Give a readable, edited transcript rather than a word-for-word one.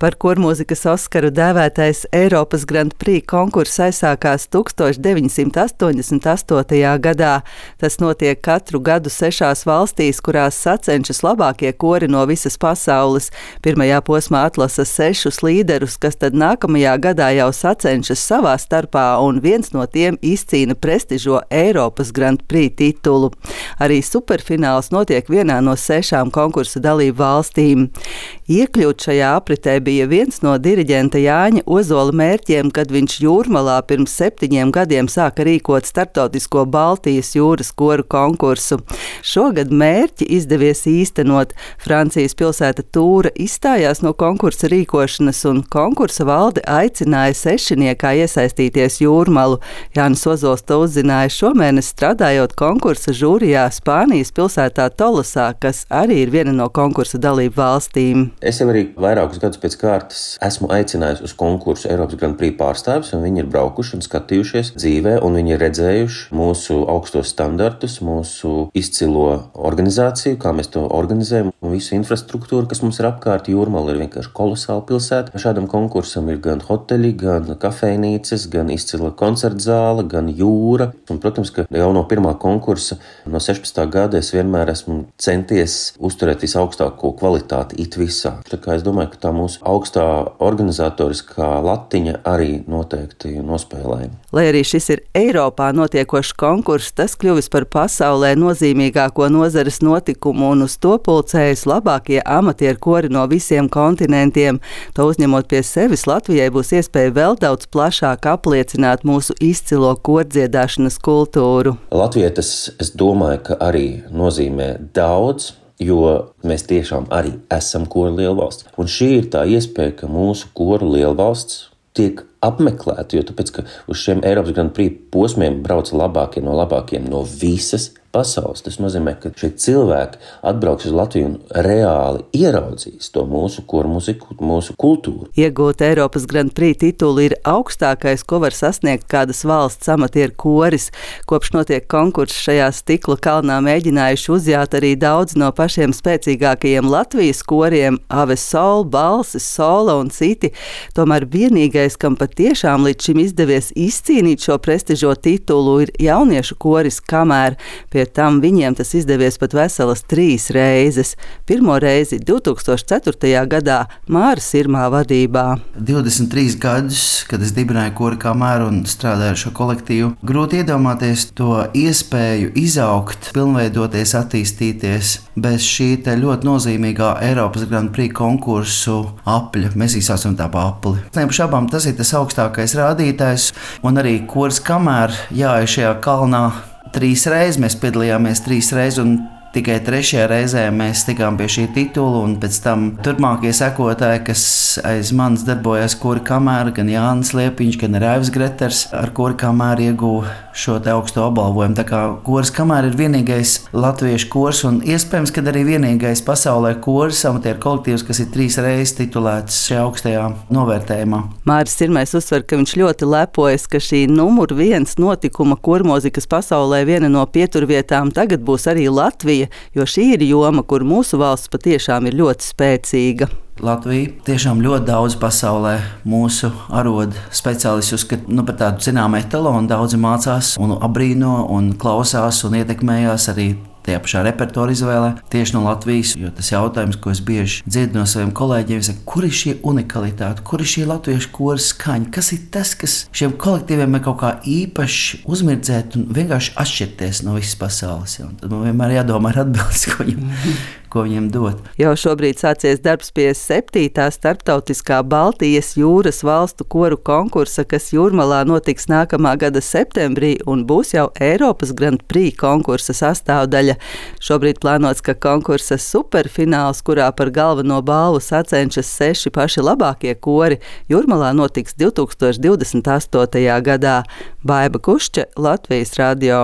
Par kormūzikas Oskaru dēvētais Eiropas Grand Prix konkurss aizsākās 1988. gadā. Tas notiek katru gadu 6 valstīs, kurās sacenšas labākie kori no visas pasaules. Pirmajā posmā atlasa 6 līderus, kas tad nākamajā gadā jau sacenšas savā starpā, un viens no tiem izcīna prestižo Eiropas Grand Prix titulu. Arī superfināls notiek vienā no 6 konkursa dalību valstīm. Iekļūt šajā apritē bija viens no diriģenta Jāņa Ozola mērķiem, kad viņš Jūrmalā pirms 7 gadiem sāka rīkot starptautisko Baltijas jūras koru konkursu. Šogad mērķi izdevies īstenot. Francijas pilsēta Tūra izstājās no konkursa rīkošanas, un konkursa valde aicināja sešiniekā iesaistīties Jūrmalu. Jānis Ozols to uzzināja šomēnes strādājot konkursa žūrijā Spānijas pilsētā Tolosā, kas arī ir viena no konkursa dalību valstīm. Es jau arī vairākus gadus pēc kārtas esmu aicinājis uz konkursu Eiropas Grand Prix pārstāvis, un viņi ir braukuši un skatījušies dzīvē, un viņi ir redzējuši mūsu augstos standartus, mūsu izcilo organizāciju, kā mēs to organizējam, un visu infrastruktūru, kas mums ir apkārt. Jūrmala ir vienkārši kolosāla pilsēta. Šādam konkursam ir gan hoteļi, gan kafejnīcas, gan izcila koncertzāle, gan jūra. Un, protams, ka jau no pirmā konkursa, no 16. gada, es vienmēr esmu centies uzturēt visaugstāko kvalitāti it visā. Tā kā es domāju, ka tā mūsu augstā organizatoriskā latiņa arī noteikti nospēlēja. Lai arī šis ir Eiropā notiekošs konkurss, tas kļuvis par pasaulē nozīmīgāko nozares notikumu, un uz to pulcējas labākie amatieru kori no visiem kontinentiem. To uzņemot pie sevis, Latvijai būs iespēja vēl daudz plašāk apliecināt mūsu izcilo kordziedāšanas kultūru. Latvijai tas, es domāju, ka arī nozīmē daudz, jo mēs tiešām arī esam koru lielvalsts. Un šī ir tā iespēja, ka mūsu koru lielvalsts tiek apmeklēta, jo tāpēc, ka uz šiem Eiropas Grand Prix posmiem brauc labākie no visas pasaules. Tas nozīmē, ka šie cilvēki atbrauks uz Latviju un reāli ieraudzīs to mūsu koru mūziku, mūsu kultūru. Iegūt Eiropas Grand Prix titulu ir augstākais, ko var sasniegt kādas valsts amatieru koris. Kopš notiek konkurss šajā stikla kalnā mēģinājuši uzjāt arī daudz no pašiem spēcīgākajiem Latvijas koriem – Aves Sol, Balsis, Sola un citi. Tomēr vienīgais, kam patiešām līdz šim izdevies izcīnīt šo prestižo titulu, ir jauniešu koris Kamēr. Pie tam viņiem tas izdevies pat veselas 3 reizes. Pirmo reizi 2004. gadā Māra Sirmā vadībā. 23 gadus, kad es dibināju kori Kamēr un strādāju ar šo kolektīvu, grūti iedomāties to iespēju izaugt, pilnveidoties, attīstīties bez šī te ļoti nozīmīgā Eiropas Grand Prix konkursu apļa. Mēs izsācam tā pa apli. Neapšaubām tas ir tas augstākais rādītājs, un arī koris Kamēr jāiet šajā kalnā 3 reizes. Mēs piedalījāmies 3 reizes, un tikai 3. reizē mēs tikām pie šī titula, un pēc tam turpmākie sekotāji, kas aiz manis darbojās kori Kamēr, gan Jānis Liepiņš, gan Raivs Greters, ar kori Kamēr ieguva šo te augsto apbalvojumu. Tā kā koris Kamēr ir vienīgais latviešu kors, un iespējams, ka arī vienīgais pasaulē koris amatieru kolektīvs, kas ir 3 reizes titulēts šajā augstajā novērtējumā. Māris Sirmais uzsver, ka viņš ļoti lepojas, ka šī numur 1 notikuma kormūzikas pasaulē viena no pieturvietām tagad būs arī Latvija, jo šī ir joma, kur mūsu valsts patiešām ir ļoti spēcīga. Latvija tiešām ļoti daudz pasaulē mūsu arodu speciālisti uzskata par tādu zināmu etalonu. Daudzi mācās un abrīno un klausās un ietekmējās arī tajā pašā repertuāra izvēlē tieši no Latvijas, jo tas jautājums, ko es bieži dzirdu no saviem kolēģiem, ir, kur ir šī unikalitāte, kur ir šī latviešu kora skaņa, kas ir tas, kas šiem kolektīviem ir kaut kā īpaši uzmirdzēt un vienkārši atšķirties no visas pasaules. Un tad man vienmēr jādomā ar atbildes, ko viņiem dot. Jau šobrīd sācies darbs pie 7. starptautiskā Baltijas jūras valstu koru konkursa, kas Jūrmalā notiks nākamā gada septembrī un būs jau Eiropas Grand Prix konkursa sastāvdaļa. Šobrīd plānots, ka konkursa superfināls, kurā par galveno balvu sacenšas 6 paši labākie kori, Jūrmalā notiks 2028. gadā. Baiba Kušča, Latvijas radio.